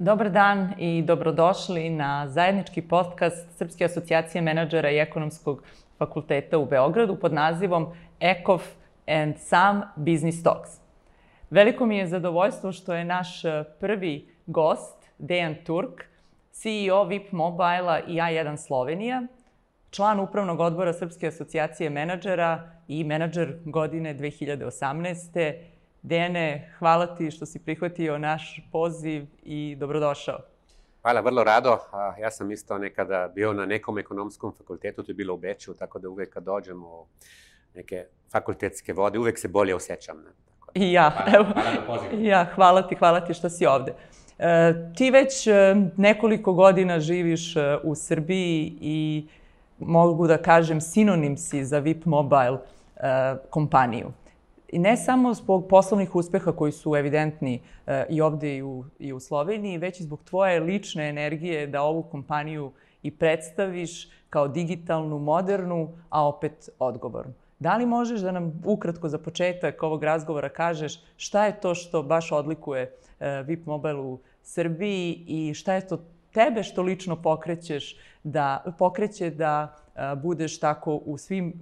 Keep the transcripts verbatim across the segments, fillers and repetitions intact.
Dobar dan i dobrodošli na zajednički podcast Srpske asocijacije menadžera i ekonomskog fakulteta u Beogradu pod nazivom Ekov and Some Business Talks. Veliko mi je zadovoljstvo što je naš prvi gost, Dejan Turk, C E O V I P Mobile-a i A jedan Slovenija, član upravnog odbora Srpske asocijacije menadžera i menadžer godine dve hiljade osamnaeste. Dejane, hvala ti što si prihvatio naš poziv i dobrodošao. Hvala, vrlo rado. Ja sam isto nekada bio na nekom ekonomskom fakultetu, to je bilo u Beču, tako da uvek kad dođem u neke fakultetske vode, uvek se bolje osjećam. I ja, hvala, evo, hvala na pozivu. Ja, hvala ti, hvala ti što si ovde. E, ti već nekoliko godina živiš u Srbiji i mogu da kažem sinonim si za V I P Mobile e, kompaniju. I ne samo zbog poslovnih uspeha koji su evidentni e, i ovde i u, i u Sloveniji, već i zbog tvoje lične energije da ovu kompaniju i predstaviš kao digitalnu, modernu, a opet odgovornu. Da li možeš da nam ukratko za početak ovog razgovora kažeš šta je to što baš odlikuje e, V I P Mobile u Srbiji i šta je to tebe što lično pokrećeš da, pokreće da a, budeš tako u svim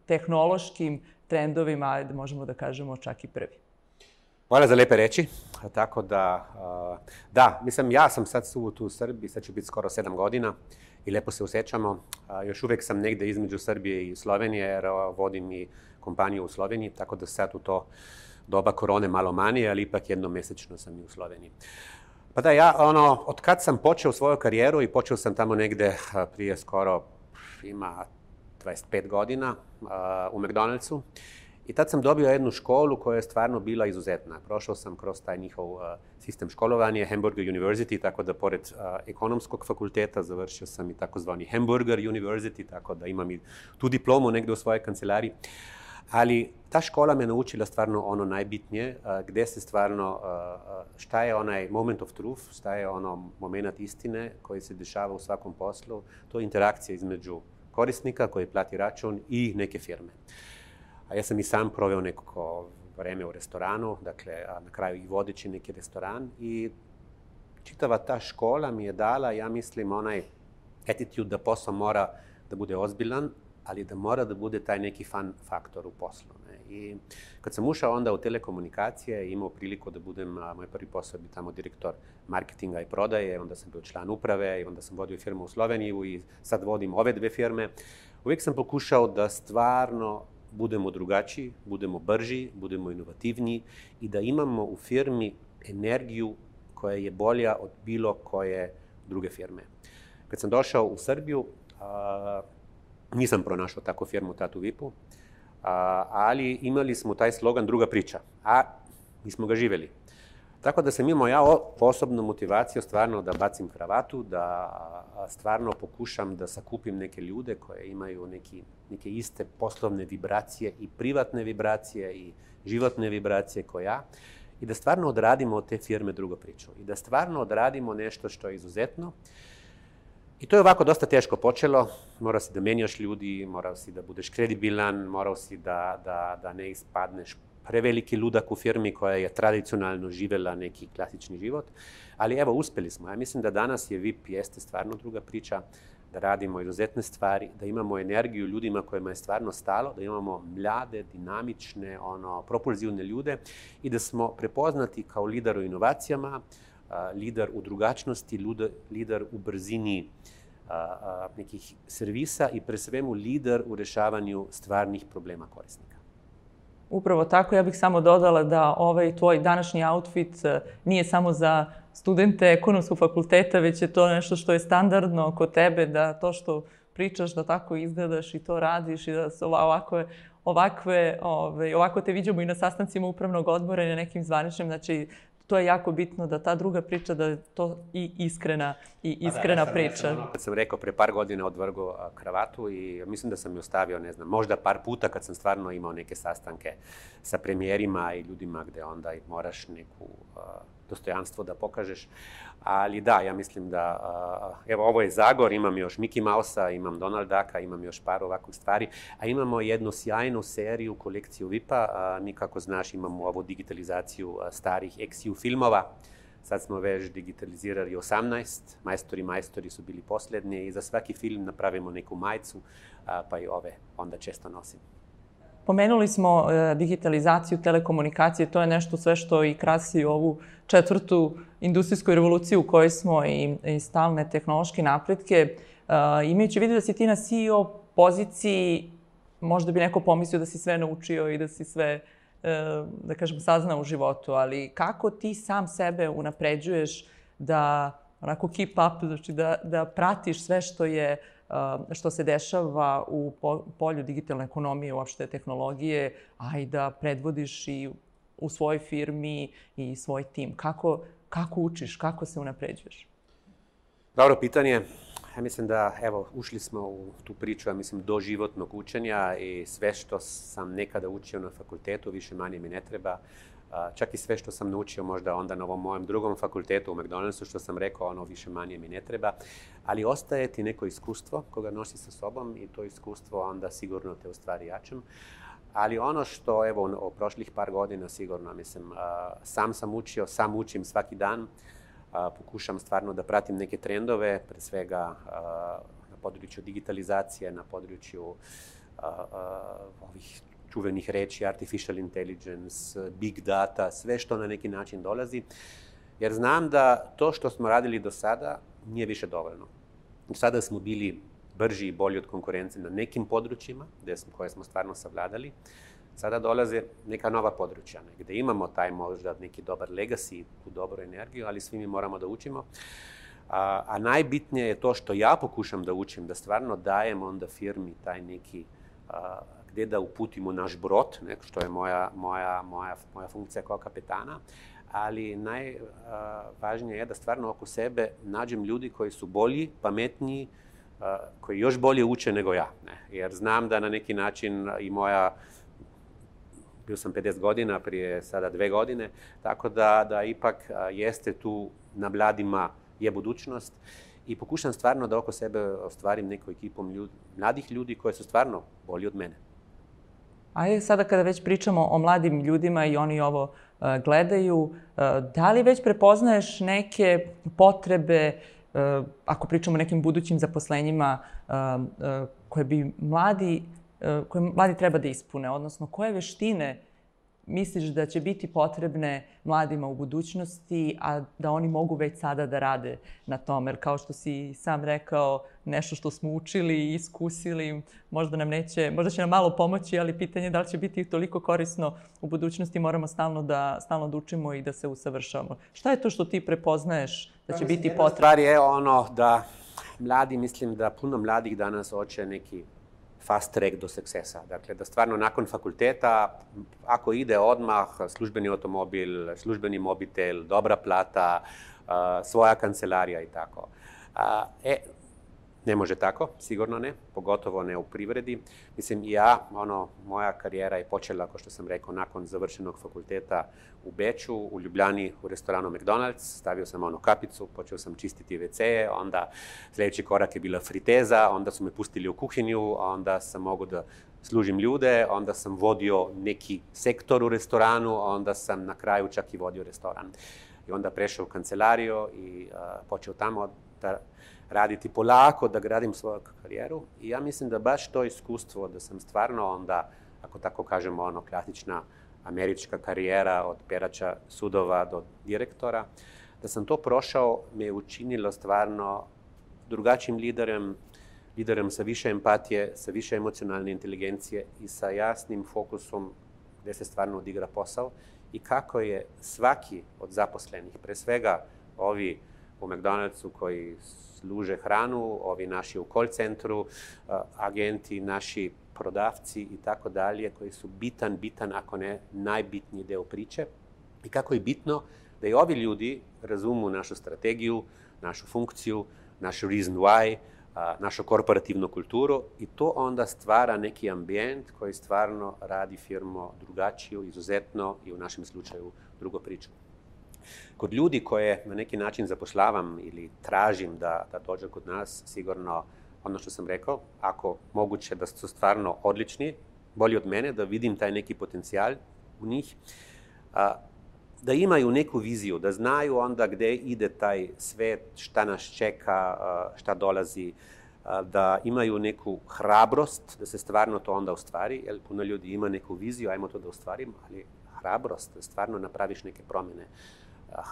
tehnološkim trendovima, ajde možemo da kažemo čak i prvi. Hvala za lepe reči. Tako da, da, mislim, ja sam sad tu u Srbiji, sad će biti skoro sedam godina i lepo se osjećamo. Još uvek sam negde između Srbije i Slovenije, jer vodim i kompaniju u Sloveniji, tako da sad u to doba korone malo manje, ali ipak jednomesečno sam i u Sloveniji. Pa da, ja, ono, od kad sam počeo svoju karijeru i počeo sam tamo negde prije skoro, ima dvadeset pet godina uh, u McDonald'su i tad sam dobio jednu školu koja je stvarno bila izuzetna. Prošao sam kroz taj njihov uh, sistem školovanja, Hamburger University, tako da pored uh, ekonomskog fakulteta završio sam i takozvani Hamburger University, tako da imam i tu diplomu negde u svojoj kancelariji. Ali ta škola me naučila stvarno ono najbitnije, uh, gde se stvarno, uh, šta je onaj moment of truth, šta je ono moment istine koji se dešava u svakom poslu, to je interakcija između korisnika koji plati račun i neke firme. A ja sam i sam proveo neko vreme u restoranu, dakle, na kraju i vodeći neki restoran i čitava ta škola mi je dala, ja mislim, onaj attitude da posao mora da bude ozbiljan, ali da mora da bude taj neki fun faktor u poslu. Ne? I kad sam ušao onda u telekomunikacije i imao priliku da budem, a, moj prvi posao bi tamo direktor marketinga i prodaje, onda sam bio član uprave i onda sam vodio firmu u Sloveniju i sad vodim ove dve firme. Uvijek sam pokušao da stvarno budemo drugačiji, budemo brži, budemo inovativniji i da imamo u firmi energiju koja je bolja od bilo koje druge firme. Kad sam došao u Srbiju, a, nisam pronašao takvu firmu tad u V I P-u, ali imali smo taj slogan druga priča, a mi smo ga živeli. Tako da sam imao ja osobnu motivaciju stvarno da bacim kravatu, da stvarno pokušam da sakupim neke ljude koje imaju neki, neke iste poslovne vibracije i privatne vibracije i životne vibracije kao ja i da stvarno odradimo od te firme drugu priču i da stvarno odradimo nešto što je izuzetno. I to je ovako dosta teško počelo, morao si da menjaš ljudi, morao si da budeš kredibilan, morao si da, da, da ne ispadneš preveliki ludak u firmi koja je tradicionalno živela neki klasični život. Ali evo, uspeli smo. Ja mislim da danas je V I P jeste stvarno druga priča, da radimo izuzetne stvari, da imamo energiju ljudima kojima je stvarno stalo, da imamo mlade, dinamične, ono, propulzivne ljude i da smo prepoznati kao lider u inovacijama, lider u drugačnosti, lider u brzini a, a, nekih servisa i pre svemu lider u rešavanju stvarnih problema korisnika. Upravo tako, ja bih samo dodala da ovaj tvoj današnji outfit nije samo za studente ekonomskog fakulteta, već je to nešto što je standardno kod tebe, da to što pričaš, da tako izgledaš i to radiš i da se ovakve, ovakve, ove, ovako te viđamo i na sastancima upravnog odbora i na nekim zvaničnim, znači to je jako bitno da ta druga priča, da je to i iskrena, i iskrena da, priča. Ono, kad sam rekao, pre par godina odvrgo kravatu i mislim da sam ju ostavio, ne znam, možda par puta kad sam stvarno imao neke sastanke sa premijerima i ljudima gde onda moraš neku uh, dostojanstvo da pokažeš. Ali da, ja mislim da, uh, evo, ovo je Zagor, imam još Mickey Mouse-a, imam Donald Ducka, imam još par ovakvih stvari, a imamo jednu sjajnu seriju, kolekciju V I P-a. Uh, mi, kako znaš, imamo ovu digitalizaciju uh, starih X U filmova Sad smo već digitalizirali osamnaest, majstori majstori su bili posljednji i za svaki film napravimo neku majicu, pa i ove onda često nosim. Pomenuli smo e, digitalizaciju, telekomunikacije, to je nešto sve što i krasi ovu četvrtu industrijsku revoluciju u kojoj smo i, i stalne tehnološke napretke. E, imajući vidio da si ti na C E O poziciji, možda bi neko pomislio da si sve naučio i da si sve, e, da kažem, saznao u životu, ali kako ti sam sebe unapređuješ da onako keep up, znači da, da pratiš sve što je što se dešava u polju digitalne ekonomije, uopšte tehnologije, a i da predvodiš i u svojoj firmi i svoj tim. Kako, kako učiš, kako se unapređuješ? Dobro pitanje. Ja mislim da, evo, ušli smo u tu priču, ja mislim, doživotnog učenja i sve što sam nekada učio na fakultetu, više manje mi ne treba. Čak i sve što sam naučio možda onda na ovom mojem drugom fakultetu u McDonald'su, što sam rekao, ono više manje mi ne treba. Ali ostaje ti neko iskustvo koga nosi sa sobom i to iskustvo onda sigurno te u stvari jačam. Ali ono što, evo, u prošlih par godina sigurno, mislim, sam sam učio, sam učim svaki dan. Pokušam stvarno da pratim neke trendove, pre svega na području digitalizacije, na području ovih čuvenih reči, artificial intelligence, big data, sve što na neki način dolazi. Jer znam da to što smo radili do sada nije više dovoljno. Sada smo bili brži i bolji od konkurencije na nekim područjima koje smo stvarno savladali. Sada dolaze neka nova područja, gde imamo taj možda neki dobar legacy, tu dobru energiju, ali svi mi moramo da učimo. A, a najbitnije je to što ja pokušam da učim, da stvarno dajem onda firmi taj neki a, gde da uputimo naš brod, ne, što je moja, moja, moja, moja funkcija kao kapetana, ali najvažnije je da stvarno oko sebe nađem ljudi koji su bolji, pametniji, a, koji još bolje uče nego ja. Ne. Jer znam da na neki način i moja bio sam pedeset godina, prije sada dve godine, tako da, da ipak a, jeste tu na mladima je budućnost i pokušam stvarno da oko sebe ostvarim neku ekipom ljudi, mladih ljudi koji su stvarno bolji od mene. Ajde, sada kada već pričamo o mladim ljudima i oni ovo uh, gledaju, uh, da li već prepoznaješ neke potrebe, uh, ako pričamo o nekim budućim zaposlenjima, uh, uh, koje bi mladi koje mladi treba da ispune, odnosno koje veštine misliš da će biti potrebne mladima u budućnosti, a da oni mogu već sada da rade na tome? Jer kao što si sam rekao, nešto što smo učili i iskusili, možda nam neće, možda će nam malo pomoći, ali pitanje je da li će biti toliko korisno u budućnosti, moramo stalno da, stalno da učimo i da se usavršavamo. Šta je to što ti prepoznaješ da će biti potrebno? Stvar je ono da mladi, mislim da puno mladih danas hoće neki fast track do succesa. Dakle, da stvarno nakon fakulteta, ako ide odmah službeni automobil, službeni mobitel, dobra plata, svoja kancelarija i tako. E, ne može tako, sigurno ne, pogotovo ne u privredi. Mislim, ja, ono, moja karijera je počela, kao što sam rekao, nakon završenog fakulteta u Beču, u Ljubljani, u restoranu McDonald's. Stavio sam ono kapicu, počeo sam čistiti ve ce, onda sljedeći korak je bila friteza, onda su me pustili u kuhinju, onda sam mogao da služim ljude, onda sam vodio neki sektor u restoranu, onda sam na kraju čak i vodio restoran. I onda prešao u kancelariju i uh, počeo tamo da raditi polako, da gradim svoju karijeru. I ja mislim da baš to iskustvo, da sam stvarno onda, ako tako kažemo, ono, klasična američka karijera od perača sudova do direktora, da sam to prošao, me je učinilo stvarno drugačijim liderem, liderem sa više empatije, sa više emocionalne inteligencije i sa jasnim fokusom gde se stvarno odigra posao i kako je svaki od zaposlenih, pre svega ovi u McDonald'su koji služe hranu, ovi naši u call centru, agenti, naši prodavci i tako dalje, koji su bitan, bitan, ako ne najbitniji deo priče. I kako je bitno da i ovi ljudi razumu našu strategiju, našu funkciju, našu reason why, našu korporativnu kulturu i to onda stvara neki ambijent koji stvarno radi firmu drugačiju, izuzetno i u našem slučaju drugo priču. Kod ljudi koje na neki način zapošljavam ili tražim da, da dođe kod nas, sigurno ono što sam rekao, ako moguće da su stvarno odlični, bolji od mene, da vidim taj neki potencijal u njih, a, da imaju neku viziju, da znaju onda gde ide taj svet, šta nas čeka, šta dolazi, da imaju neku hrabrost, da se stvarno to onda ostvari, jer puno ljudi ima neku viziju, ajmo to da ostvarimo, ali hrabrost, da stvarno napraviš neke promjene.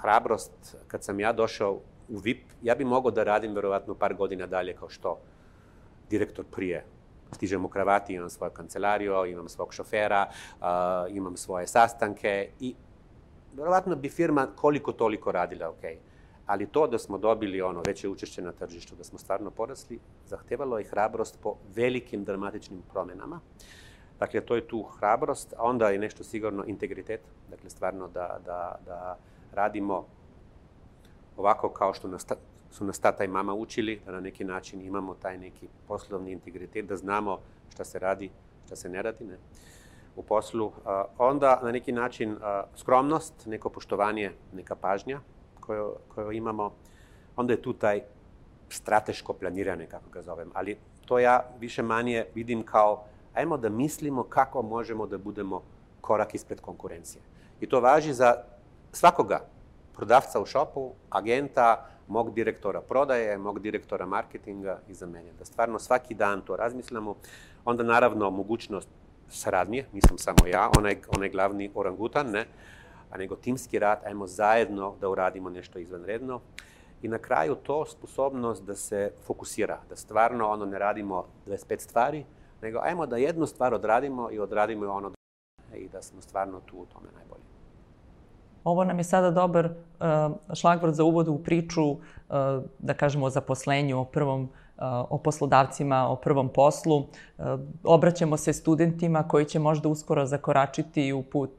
Hrabrost, kad sam ja došao u V I P, ja bi mogao da radim verovatno par godina dalje kao što direktor prije. Stižem u kravati, imam svoju kancelariju, imam svog šofera, imam svoje sastanke i verovatno bi firma koliko toliko radila, ok. Ali to da smo dobili ono veće učešće na tržištu, da smo stvarno porasli, zahtevalo je hrabrost po velikim dramatičnim promjenama. Dakle, to je tu hrabrost, a onda je nešto sigurno integritet. Dakle, stvarno da, da, da radimo ovako kao što nas, su nas tata i mama učili, da na neki način imamo taj neki poslovni integritet, da znamo šta se radi, šta se ne radi, ne, u poslu. Onda na neki način skromnost, neko poštovanje, neka pažnja koju, koju imamo. Onda je tu taj strateško planiranje, kako ga zovem. Ali to ja više manje vidim kao ajmo da mislimo kako možemo da budemo korak ispred konkurencije. I to važi za svakoga, prodavca u šopu, agenta, mog direktora prodaje, mog direktora marketinga i za mene. Da stvarno svaki dan to razmislimo. Onda naravno mogućnost saradnje, nisam samo ja, onaj, onaj glavni orangutan, ne, a nego timski rad, ajmo zajedno da uradimo nešto izvanredno. I na kraju to sposobnost da se fokusira, da stvarno ono ne radimo dvadeset pet stvari, nego ajmo da jednu stvar odradimo i odradimo ono i da smo stvarno tu u tome najbolji. Ovo nam je sada dobar uh, šlagvort za uvod u priču, uh, da kažemo o zaposlenju, o prvom, uh, o poslodavcima, o prvom poslu. Uh, obraćamo se studentima koji će možda uskoro zakoračiti u put,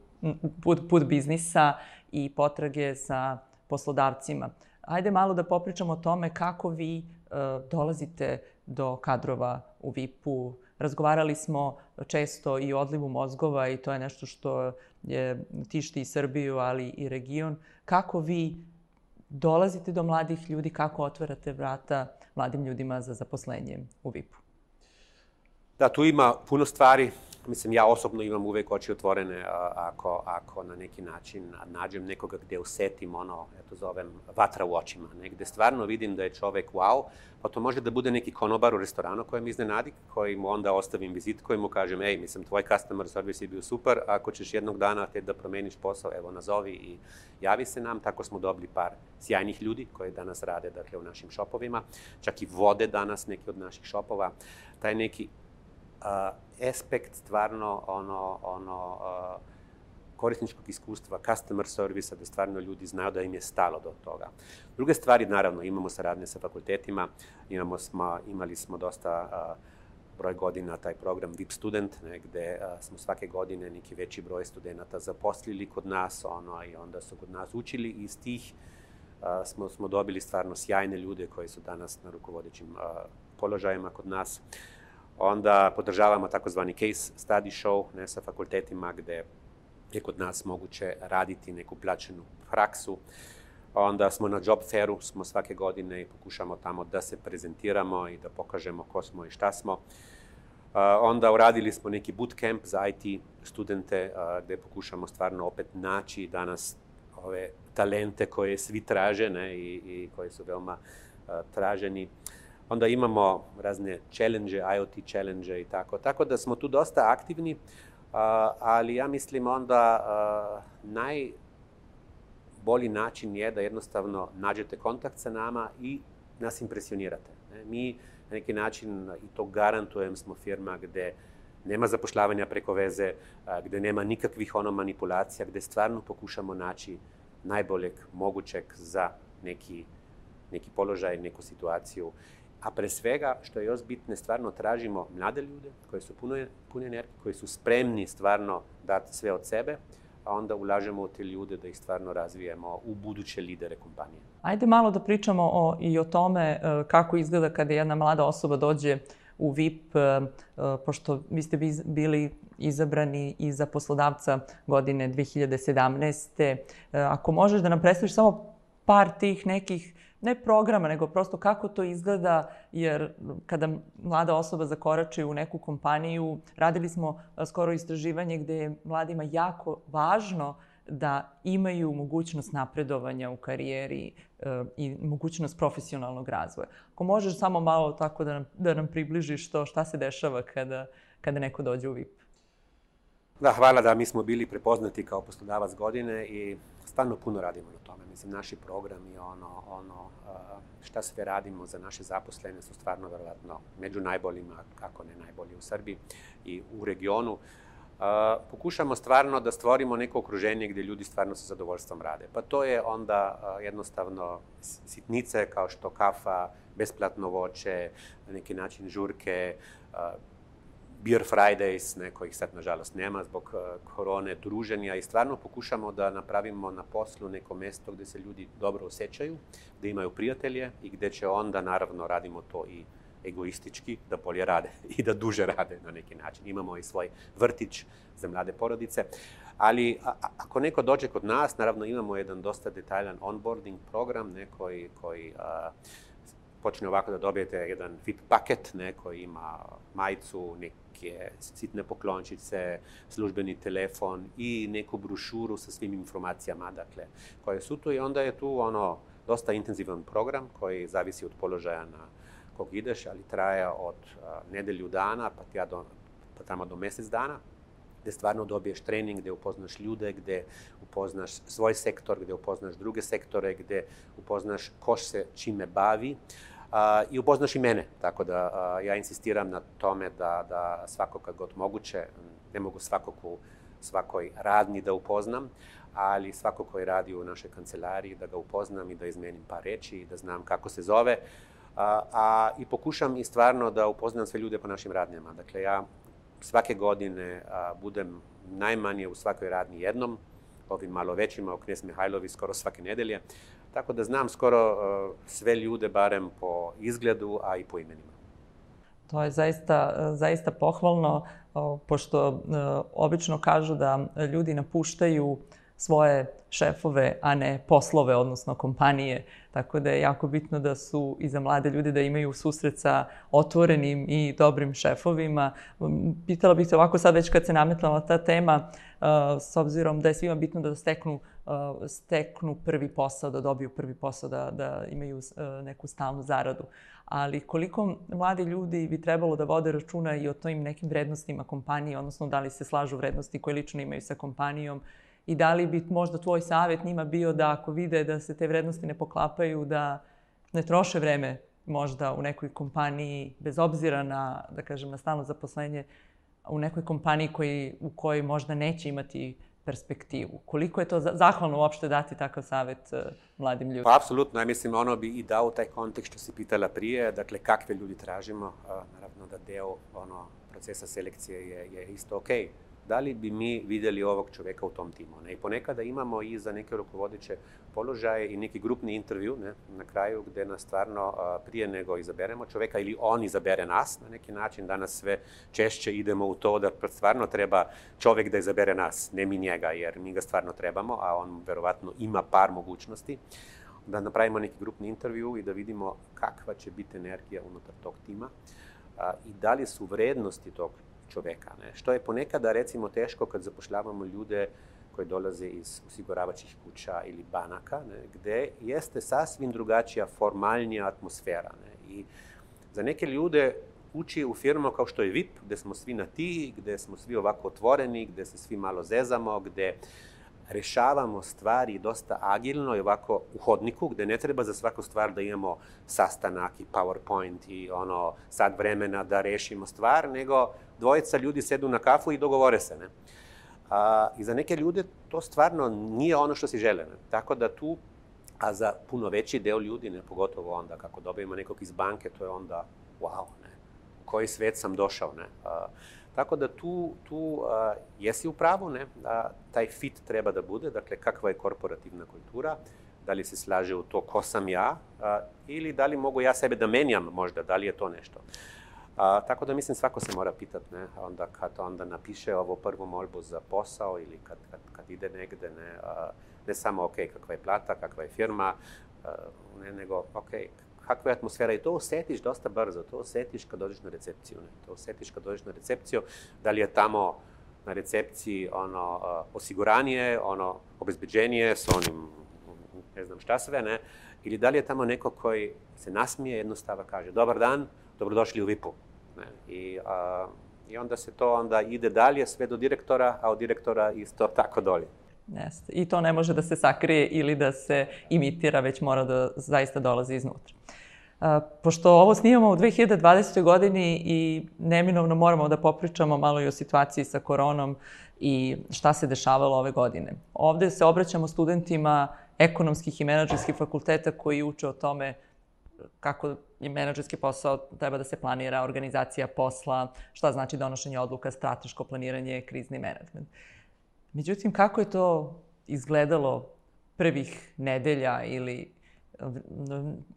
put, put biznisa i potrage sa poslodavcima. Ajde malo da popričamo o tome kako vi uh, dolazite do kadrova u V I P-u. Razgovarali smo često i o odlivu mozgova i to je nešto što je, tišti i Srbiju, ali i region. Kako vi dolazite do mladih ljudi, kako otvarate vrata mladim ljudima za zaposlenje u V I P-u? Da, tu ima puno stvari. Mislim, ja osobno imam uvek oči otvorene ako, ako na neki način nađem nekoga gde usetim ono, eto zovem, vatra u očima. Negde stvarno vidim da je čovek wow, pa to može da bude neki konobar u restoranu koji mi iznenadi, koji mu onda ostavim vizit, koji mu kažem, ej, mislim, tvoj customer service je bio super, ako ćeš jednog dana te da promeniš posao, evo, nazovi i javi se nam. Tako smo dobili par sjajnih ljudi koji danas rade, dakle, u našim šopovima, čak i vode danas neki od naših šopova. Taj neki Uh, aspekt stvarno ono, ono uh, korisničkog iskustva, customer servisa, da stvarno ljudi znaju da im je stalo do toga. Druge stvari, naravno, imamo saradnje sa fakultetima, imamo smo, imali smo dosta uh, broj godina taj program V I P student, ne, gde uh, smo svake godine neki veći broj studenta zaposlili kod nas, ono, i onda su kod nas učili i iz tih uh, smo, smo dobili stvarno sjajne ljude koji su danas na rukovodećim uh, položajima kod nas. Onda podržavamo takozvani case study show, ne, sa fakultetima gde je kod nas moguće raditi neku plaćenu praksu. Onda smo na job fairu, smo svake godine i pokušamo tamo da se prezentiramo i da pokažemo ko smo i šta smo. Onda uradili smo neki bootcamp za I T studente gde pokušamo stvarno opet naći danas ove talente koje svi traže, ne, i, i koji su veoma traženi. Onda imamo razne challenge, I O T challenge i tako. Tako da smo tu dosta aktivni, ali ja mislim onda najbolji način je da jednostavno nađete kontakt sa nama i nas impresionirate. Mi na neki način, i to garantujem, smo firma gde nema zapošljavanja preko veze, gde nema nikakvih ono manipulacija, gde stvarno pokušamo naći najboljeg mogućeg za neki, neki položaj, neku situaciju. A pre svega, što je još bitne, stvarno tražimo mlade ljude koji su puno, puno energije, koji su spremni stvarno dati sve od sebe, a onda ulažemo u te ljude da ih stvarno razvijemo u buduće lidere kompanije. Ajde malo da pričamo o, i o tome kako izgleda kada jedna mlada osoba dođe u V I P, pošto vi ste bili izabrani i za poslodavca godine dve hiljade sedamnaeste. Ako možeš da nam predstaviš samo par tih nekih, ne programa, nego prosto kako to izgleda, jer kada mlada osoba zakorači u neku kompaniju, radili smo skoro istraživanje gde je mladima jako važno da imaju mogućnost napredovanja u karijeri i mogućnost profesionalnog razvoja. Ako možeš samo malo tako da nam, da nam približiš to šta se dešava kada, kada neko dođe u V I P. Da, hvala da mi smo bili prepoznati kao poslodavac godine i stvarno puno radimo na tome. Mislim, naši programi, ono, ono, šta sve radimo za naše zaposlene su stvarno verovatno među najboljima, ako ne najbolji u Srbiji i u regionu. Pokušamo stvarno da stvorimo neko okruženje gdje ljudi stvarno sa zadovoljstvom rade. Pa to je onda jednostavno sitnice kao što kafa, besplatno voće, na neki način žurke, Beer Fridays, ne, kojih sad nažalost nema zbog korone, druženja i stvarno pokušamo da napravimo na poslu neko mesto gdje se ljudi dobro osjećaju, gdje imaju prijatelje i gdje će onda naravno radimo to i egoistički, da bolje rade i da duže rade na neki način. Imamo i svoj vrtić za mlade porodice, ali a, ako neko dođe kod nas, naravno imamo jedan dosta detaljan onboarding program, ne, koji, koji a, počne ovako da dobijete jedan V I P paket, ne, koji ima majicu, neke sitne poklončice, službeni telefon i neku brošuru sa svim informacijama, dakle, koje su tu i onda je tu ono dosta intenzivan program koji zavisi od položaja na kog ideš, ali traje od a, nedelju dana pa, tja do, pa tamo do mjesec dana, gdje stvarno dobiješ trening, gdje upoznaš ljude, gdje upoznaš svoj sektor, gdje upoznaš druge sektore, gdje upoznaš ko se čime bavi a, i upoznaš i mene. Tako da a, ja insistiram na tome da, da svako kad god moguće, ne mogu svakog u svakoj radnji da upoznam, ali svako koji radi u našoj kancelariji da ga upoznam i da izmenim par reči i da znam kako se zove. A, a i pokušam i stvarno da upoznam sve ljude po našim radnjama. Dakle, ja svake godine a, budem najmanje u svakoj radnji jednom, ovim malo većima u Knez Mihajlovi skoro svake nedelje, tako da znam skoro a, sve ljude barem po izgledu, a i po imenima. To je zaista, zaista pohvalno, pošto obično kažu da ljudi napuštaju svoje šefove, a ne poslove, odnosno kompanije. Tako da je jako bitno da su i za mlade ljude da imaju susret sa otvorenim i dobrim šefovima. Pitala bih se ovako sad već kad se nametala ta tema, s obzirom da je svima bitno da steknu, steknu prvi posao, da dobiju prvi posao, da, da imaju neku stalnu zaradu. Ali koliko mladi ljudi bi trebalo da vode računa i o tojim nekim vrednostima kompanije, odnosno da li se slažu vrednosti koje lično imaju sa kompanijom, i da li bi možda tvoj savjet njima bio da ako vide da se te vrednosti ne poklapaju, da ne troše vreme možda u nekoj kompaniji, bez obzira na, da kažem, na stalno zaposlenje, u nekoj kompaniji koji, u kojoj možda neće imati perspektivu. Koliko je to zahvalno uopšte dati takav savjet uh, mladim ljudima? Pa, apsolutno. Ja mislim, ono bi i dao taj kontekst što si pitala prije, dakle, kakve ljudi tražimo. Uh, naravno da deo ono, procesa selekcije je, je isto okej. Okay. Da li bi mi vidjeli ovog čovjeka u tom timu? Ne? I ponekada imamo i za neke rukovodeće položaje i neki grupni intervju, ne? Na kraju gdje nas stvarno a, prije nego izaberemo čovjeka ili on izabere nas na neki način. Danas sve češće idemo u to da stvarno treba čovjek da izabere nas, ne mi njega, jer mi ga stvarno trebamo, a on verovatno ima par mogućnosti. Da napravimo neki grupni intervju i da vidimo kakva će biti energija unutar tog tima a, i da li su vrednosti tog čovjeka. Ne? Što je ponekada recimo teško kad zapošljavamo ljude koji dolaze iz osiguravajućih kuća ili banaka, ne? Gdje jeste sasvim drugačija, formalnija atmosfera. Ne? I za neke ljude ući u firmu kao što je V I P, gdje smo svi na ti, gdje smo svi ovako otvoreni, gdje se svi malo zezamo, gdje rešavamo stvari dosta agilno i ovako u hodniku, gdje ne treba za svaku stvar da imamo sastanak i PowerPoint i ono sad vremena da rešimo stvar, nego dvojica ljudi sedu na kafu i dogovore se. Ne? A, I za neke ljude to stvarno nije ono što si žele. Ne? Tako da tu, a za puno veći deo ljudi, ne, pogotovo onda kako dobijemo nekog iz banke, to je onda wow, ne? U koji svet sam došao. Ne? A, Tako da tu, tu a, jesi u pravu, ne? A, taj fit treba da bude, dakle kakva je korporativna kultura, da li se slaže u to ko sam ja, a, ili da li mogu ja sebe da menjam možda, da li je to nešto. A, tako da mislim svako se mora pitati, ne? Onda kad onda napiše ovo prvu molbu za posao ili kad, kad, kad ide negde, ne, a, ne samo ok, kakva je plata, kakva je firma, a, ne, nego ok, kakva je atmosfera i to osjetiš dosta brzo, to osjetiš kad dođeš na recepciju, ne? To osjetiš kad dođeš na recepciju, da li je tamo na recepciji ono, osiguranje, ono, obezbeđenje s onim, ne znam šta sve, ne? Ili da li je tamo neko koji se nasmije, jednostavno kaže dobar dan, dobrodošli u vipu. Ne? I, a, I onda se to onda ide dalje sve do direktora, a od direktora isto tako dolje. Jeste. I to ne može da se sakrije ili da se imitira, već mora da zaista dolazi iznutra. Pošto ovo snimamo u dve hiljade dvadesetoj. godini i neminovno moramo da popričamo malo i o situaciji sa koronom i šta se dešavalo ove godine. Ovde se obraćamo studentima ekonomskih i menadžerskih fakulteta koji uče o tome kako je menadžerski posao treba da se planira, organizacija posla, šta znači donošenje odluka, strateško planiranje, krizni menadžment. Međutim, kako je to izgledalo prvih nedelja ili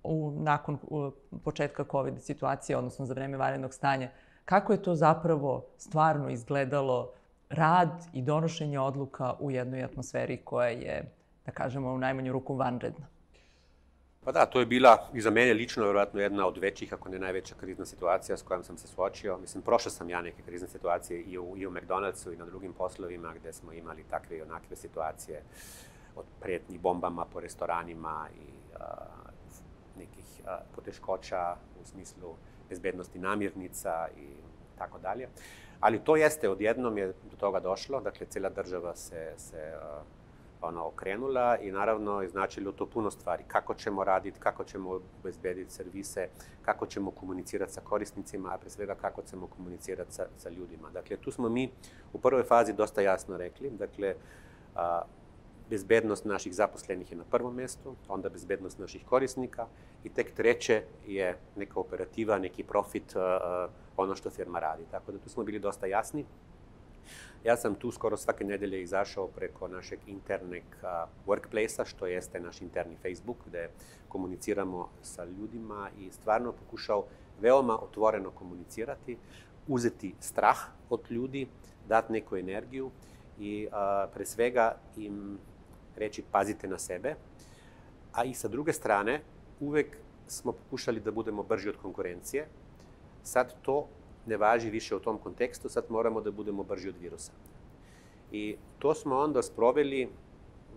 u, nakon u, početka COVID situacije, odnosno za vreme vanrednog stanja, kako je to zapravo stvarno izgledalo rad i donošenje odluka u jednoj atmosferi koja je, da kažemo, u najmanju ruku vanredna? Pa da, to je bila i za mene lično vjerojatno jedna od većih, ako ne najveća krizna situacija s kojom sam se suočio. Mislim, prošao sam ja neke krizne situacije i u, i u McDonald'su i na drugim poslovima gde smo imali takve i onakve situacije od pretnji bombama po restoranima i a, nekih a, poteškoća u smislu bezbednosti namirnica i tako dalje. Ali to jeste, odjednom je do toga došlo, dakle, cijela država se, se a, ono, okrenula i naravno je značilo to puno stvari. Kako ćemo raditi, kako ćemo obezbediti servise, kako ćemo komunicirati sa korisnicima, a pre svega kako ćemo komunicirati sa, sa ljudima. Dakle, tu smo mi u prvoj fazi dosta jasno rekli, dakle, a, bezbednost naših zaposlenih je na prvom mjestu, onda bezbednost naših korisnika i tek treće je neka operativa, neki profit, a, ono što firma radi. Tako da tu smo bili dosta jasni. Ja sam tu skoro svake nedelje izašao preko našeg internog workplace-a, što jeste naš interni Facebook, gde komuniciramo sa ljudima i stvarno pokušao veoma otvoreno komunicirati, uzeti strah od ljudi, dati neku energiju i a, pre svega im reći pazite na sebe. A i sa druge strane, uvek smo pokušali da budemo brži od konkurencije. Sad to ne važi više u tom kontekstu, sad moramo da budemo brži od virusa. I to smo onda sproveli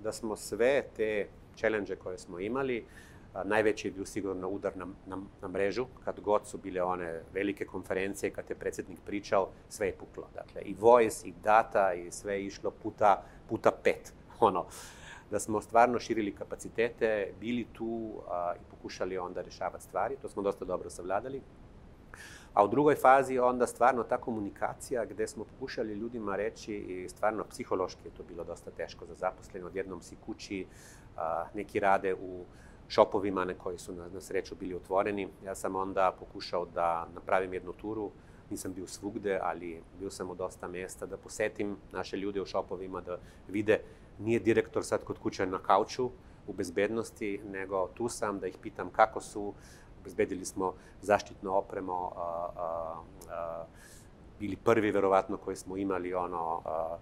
da smo sve te challenge koje smo imali, a, najveći je bio sigurno udar na, na, na mrežu, kad god su bile one velike konferencije, kad je predsjednik pričao, sve je puklo. Dakle, i voice, i data, i sve je išlo puta, puta pet. Ono, da smo stvarno širili kapacitete, bili tu a, i pokušali onda rešavati stvari, to smo dosta dobro savladali. A u drugoj fazi onda stvarno ta komunikacija gde smo pokušali ljudima reći i stvarno psihološki je to bilo dosta teško za zaposlene. Odjednom si kući, a, neki rade u šopovima na koji su na, na sreću bili otvoreni. Ja sam onda pokušao da napravim jednu turu, nisam bio svugde, ali bio sam u dosta mjesta, da posetim naše ljude u šopovima, da vide nije direktor sad kod kuće na kauču u bezbednosti, nego tu sam da ih pitam kako su. Obezbedili smo zaštitno opremo, a, a, a, bili prvi verovatno koji smo imali ono, a,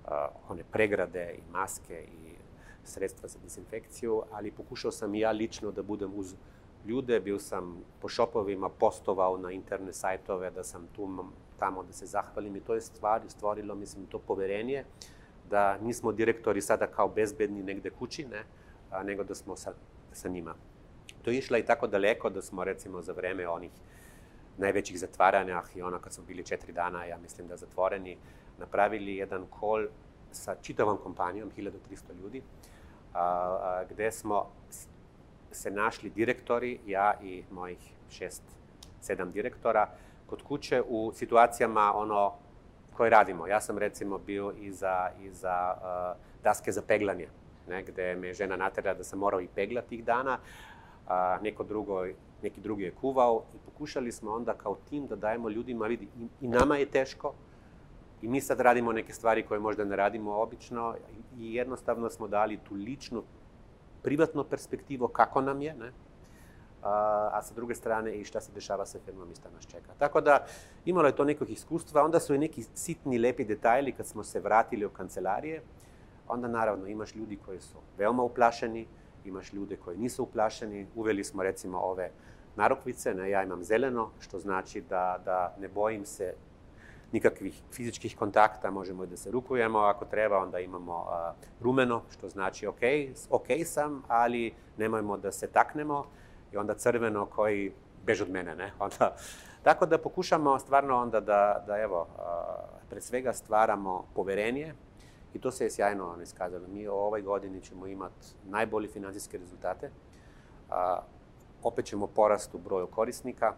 a, one pregrade i maske i sredstva za dezinfekciju, ali pokušao sam i ja lično da budem uz ljude, bio sam po šopovima, postovao na interne sajtove, da sam tu tamo da se zahvalim i to je stvari stvorilo, mislim, to poverenje da nismo direktori sada kao bezbedni negde kući, ne, a, nego da smo sa, sa njima. To je išla i tako daleko da smo, recimo, za vreme onih najvećih zatvaranja i ono kad smo bili četiri dana, ja mislim da zatvoreni, napravili jedan call sa čitavom kompanijom, hiljadu tristo ljudi, a, a, gde smo se našli direktori, ja i mojih šest, sedam direktora, kod kuće u situacijama ono koje radimo. Ja sam, recimo, bio i za, i za uh, daske za peglanje, ne, gde me žena natera da sam morao i peglati tih dana, a neko drugo, neki drugi je kuvao i pokušali smo onda kao tim da dajemo ljudima, vidi, i, i nama je teško i mi sad radimo neke stvari koje možda ne radimo obično i jednostavno smo dali tu ličnu, privatnu perspektivu kako nam je, ne? A, a sa druge strane i šta se dešava sa firmom i šta nas čeka. Tako da imalo je to nekog iskustva, onda su i neki sitni, lepi detajli kad smo se vratili u kancelarije, onda naravno imaš ljudi koji su veoma uplašeni, imaš ljude koji nisu uplašeni. Uveli smo, recimo, ove narukvice, ne, ja imam zeleno, što znači da, da ne bojim se nikakvih fizičkih kontakta, možemo i da se rukujemo ako treba, onda imamo a, rumeno, što znači ok, ok sam, ali nemojmo da se taknemo, i onda crveno koji bež od mene, ne? Onda, tako da pokušamo stvarno onda da, da evo, a, pred svega stvaramo poverenje, i to se je sjajno iskazalo. Mi u ovoj godini ćemo imati najbolje financijske rezultate, a, opet ćemo porast u broju korisnika,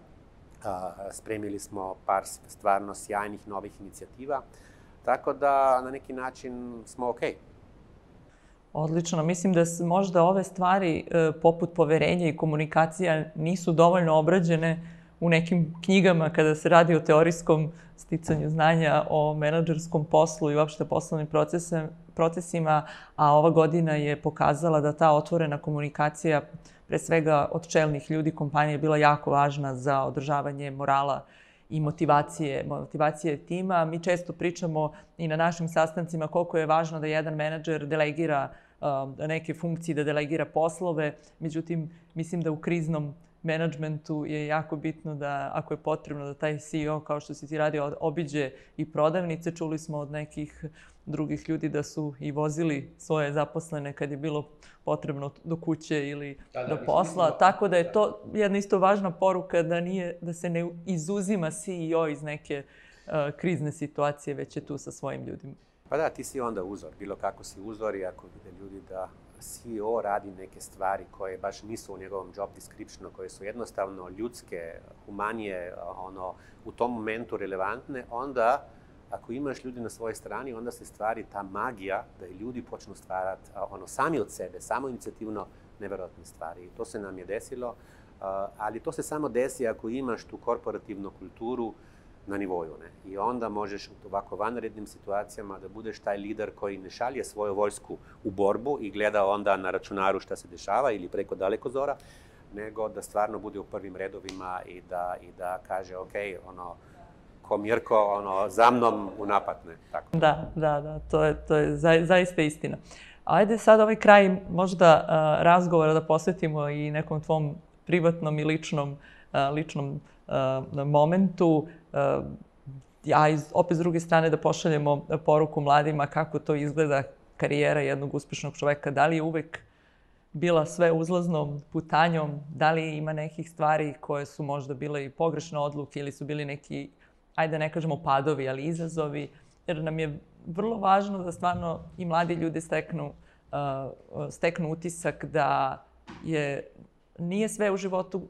a, spremili smo par stvarno sjajnih novih inicijativa, tako da na neki način smo ok. Odlično. Mislim da se možda ove stvari e, poput poverenja i komunikacija nisu dovoljno obrađene u nekim knjigama kada se radi o teorijskom sticanju znanja o menadžerskom poslu i uopšte poslovnim procese, procesima, a ova godina je pokazala da ta otvorena komunikacija, pre svega od čelnih ljudi kompanije, je bila jako važna za održavanje morala i motivacije, motivacije tima. Mi često pričamo i na našim sastancima koliko je važno da jedan menadžer delegira um, neke funkcije, da delegira poslove. Međutim, mislim da u kriznom menadžmentu je jako bitno da, ako je potrebno, da taj C E O, kao što si ti radio, obiđe i prodavnice. Čuli smo od nekih drugih ljudi da su i vozili svoje zaposlene kad je bilo potrebno do kuće ili da, da, do posla. Mislim, tako da je to jedna isto važna poruka da, nije, da se ne izuzima C E O iz neke uh, krizne situacije, već je tu sa svojim ljudima. Pa da, ti si onda uzor. Bilo kako si uzor i ako vide ljudi da C E O radi neke stvari koje baš nisu u njegovom job descriptionu, koje su jednostavno ljudske, humanije, ono, u tom momentu relevantne, onda ako imaš ljudi na svojoj strani, onda se stvari ta magija da i ljudi počnu stvarati ono, sami od sebe, samo inicijativno nevjerojatne stvari. I to se nam je desilo, ali to se samo desi ako imaš tu korporativnu kulturu na nivoju. Ne? I onda možeš u ovako vanrednim situacijama da budeš taj lider koji ne šalje svoju vojsku u borbu i gleda onda na računaru šta se dešava ili preko dalekozora, nego da stvarno bude u prvim redovima i da, i da kaže ok, ono, ko Mirko, ono, za mnom u napad. Ne? Tako. Da, da, da, to je, to je za, zaista istina. Ajde sad ovaj kraj možda uh, razgovora da posvetimo i nekom tvom privatnom i ličnom, uh, ličnom uh, momentu. Uh, a iz, opet s druge strane da pošaljemo poruku mladima kako to izgleda karijera jednog uspešnog čoveka. Da li je uvek bila sve uzlaznom putanjom? Da li ima nekih stvari koje su možda bile i pogrešne odluke ili su bili neki, ajde ne kažemo padovi, ali izazovi? Jer nam je vrlo važno da stvarno i mladi ljudi steknu, uh, steknu utisak da je, nije sve u životu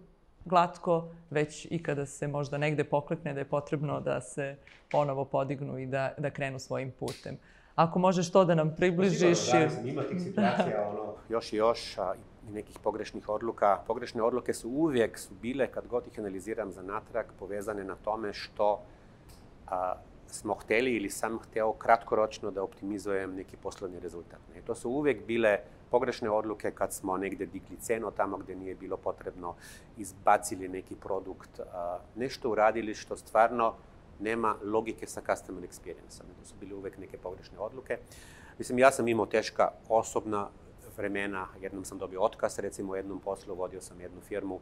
glatko, već i kada se možda negde poklekne, da je potrebno da se ponovo podignu i da, da krenu svojim putem. Ako možeš to da nam približiš... Sigurno, da, ima tih situacija, ono, još i još, a, i nekih pogrešnih odluka. Pogrešne odluke su uvijek su bile, kad god ih analiziram za natrag, povezane na tome što a, smo hteli ili sam hteo kratkoročno da optimizujem neki poslovni rezultat. I to su uvijek bile pogrešne odluke kad smo negde digli cenu tamo gde nije bilo potrebno, izbacili neki produkt, a, nešto uradili što stvarno nema logike sa customer experience-om. To su bile uvek neke pogrešne odluke. Mislim, ja sam imao teška osobna vremena. Jednom sam dobio otkaz, recimo u jednom poslu, vodio sam jednu firmu.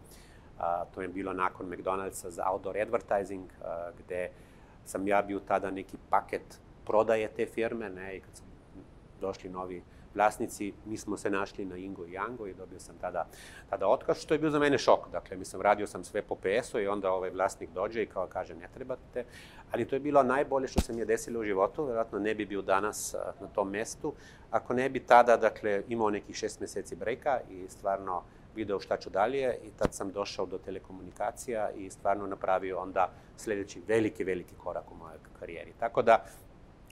A, to je bilo nakon McDonald'sa za outdoor advertising, a, gde sam ja bio tada neki paket prodaje te firme, ne, i kad su došli novi vlasnici, mi smo se našli na Ingo i Jango i dobio sam tada, tada otkaz, što je bio za mene šok. Dakle, mislim, radio sam sve po P S-u i onda ovaj vlasnik dođe i kao kaže ne trebate. Ali to je bilo najbolje što se mi je desilo u životu, vjerojatno ne bi bio danas na tom mestu, ako ne bi tada, dakle, imao nekih šest meseci brejka i stvarno video šta ću dalje, i tad sam došao do telekomunikacija i stvarno napravio onda sljedeći veliki, veliki korak u mojoj karijeri. Tako da,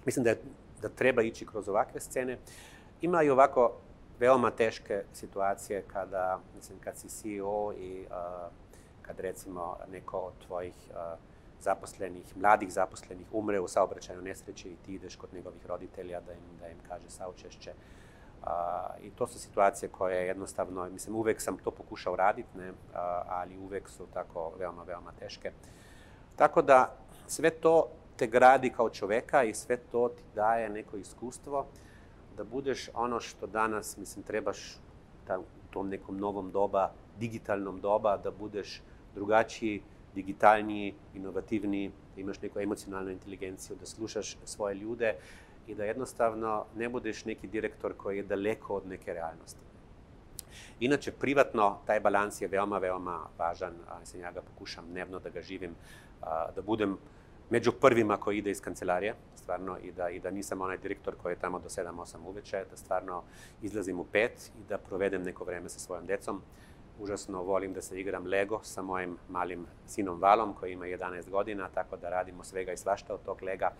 mislim da, je, da treba ići kroz ovakve scene. Ima i ovako veoma teške situacije kada, mislim, kad si C E O i uh, kad recimo neko od tvojih uh, zaposlenih, mladih zaposlenih umre u saobraćajnoj nesreći i ti ideš kod njegovih roditelja da im, da im kaže saučešće. Uh, I to su situacije koje jednostavno, mislim, uvek sam to pokušao raditi, ne, uh, ali uvek su tako veoma, veoma teške. Tako da sve to te gradi kao čoveka i sve to ti daje neko iskustvo da budeš ono što danas, mislim, trebaš da, u tom nekom novom doba, digitalnom doba, da budeš drugačiji digitalniji, inovativniji, da imaš neku emocionalnu inteligenciju, da slušaš svoje ljude i da jednostavno ne budeš neki direktor koji je daleko od neke realnosti. Inače, privatno, taj balans je veoma, veoma važan. Mislim, ja ga pokušam dnevno da ga živim, da budem među prvima koji ide iz kancelarije, stvarno, i da, i da nisam onaj direktor koji je tamo do sedam osam uveče, da stvarno izlazim u pet i da provedem neko vreme sa svojom decom. Užasno volim da se igram Lego sa mojim malim sinom Valom koji ima jedanaest godina, tako da radimo svega i svašta od tog Lega,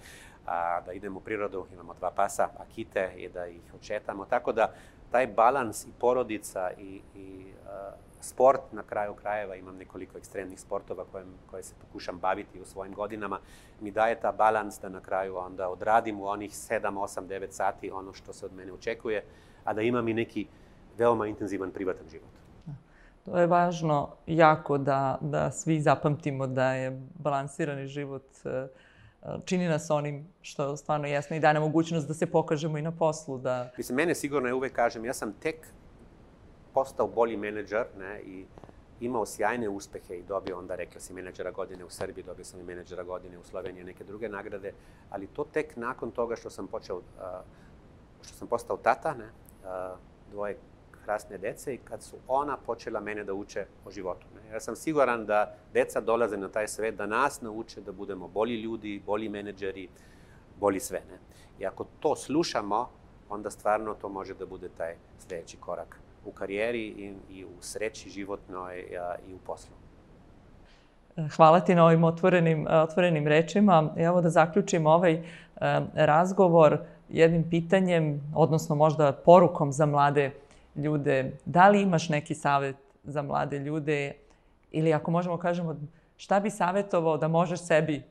a, da idemo u prirodu, imamo dva pasa, akite, i da ih odšetamo. Tako da taj balans i porodica i, i a, sport, na kraju krajeva imam nekoliko ekstremnih sportova kojem, koje se pokušam baviti u svojim godinama, mi daje ta balans da na kraju onda odradim u onih sedam, osam, devet sati ono što se od mene očekuje, a da imam i neki veoma intenzivan privatan život. To je važno jako da, da svi zapamtimo da je balansirani život čini nas onim što stvarno jesno i daje nam mogućnost da se pokažemo i na poslu. Da... Mislim, mene sigurno, ja uvek kažem, ja sam tek postao bolji menadžer, ne, i imao sjajne uspehe i dobio onda, rekla si, menadžera godine u Srbiji, dobio sam i menadžera godine u Sloveniji, neke druge nagrade, ali to tek nakon toga što sam počeo, što sam postao tata, ne, dvoje krasne dece, i kad su ona počela mene da uče o životu. Ne. Ja sam siguran da deca dolaze na taj svet da nas nauče da budemo bolji ljudi, bolji menadžeri, bolji sve. Ne. I ako to slušamo, onda stvarno to može da bude taj sljedeći korak u karijeri i, i u sreći životnoj i u poslu. Hvala ti na ovim otvorenim, otvorenim rečima. Evo da zaključim ovaj razgovor jednim pitanjem, odnosno možda porukom za mlade ljude. Da li imaš neki savjet za mlade ljude ili ako možemo kažemo šta bi savjetovao da možeš sebi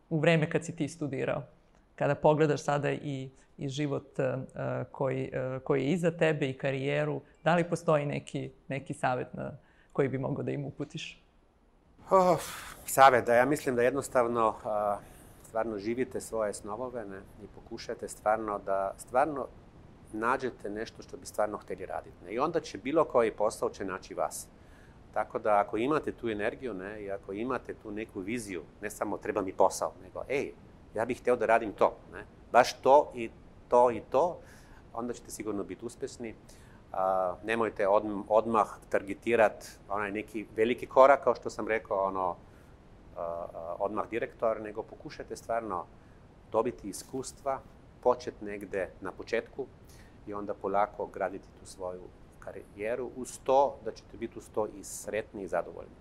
u vreme kad si ti studirao? Kada pogledaš sada i, i život uh, koji, uh, koji je iza tebe i karijeru, da li postoji neki, neki savjet na koji bi mogao da im uputiš? Oh, savjet, da ja mislim da jednostavno uh, stvarno živite svoje snovove, ne, i pokušajte stvarno da stvarno nađete nešto što bi stvarno htjeli raditi. Ne? I onda će bilo koji posao će naći vas. Tako da ako imate tu energiju, ne, i ako imate tu neku viziju, ne samo treba mi posao, nego ej, ja bih htio da radim to, ne? Baš to i to i to, onda ćete sigurno biti uspješni. Uh, nemojte od, odmah targetirati onaj neki veliki korak, kao što sam rekao, ono, uh, odmah direktor, nego pokušajte stvarno dobiti iskustva, početi negde na početku i onda polako graditi tu svoju karijeru, uz to da ćete biti uz to i sretni i zadovoljni.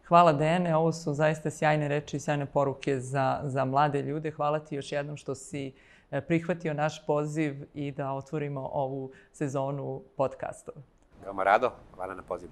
Hvala, Dejane, ovo su zaista sjajne reči i sjajne poruke za, za mlade ljude. Hvala ti još jednom što si prihvatio naš poziv i da otvorimo ovu sezonu podcastova. Veoma rado, hvala na pozivu.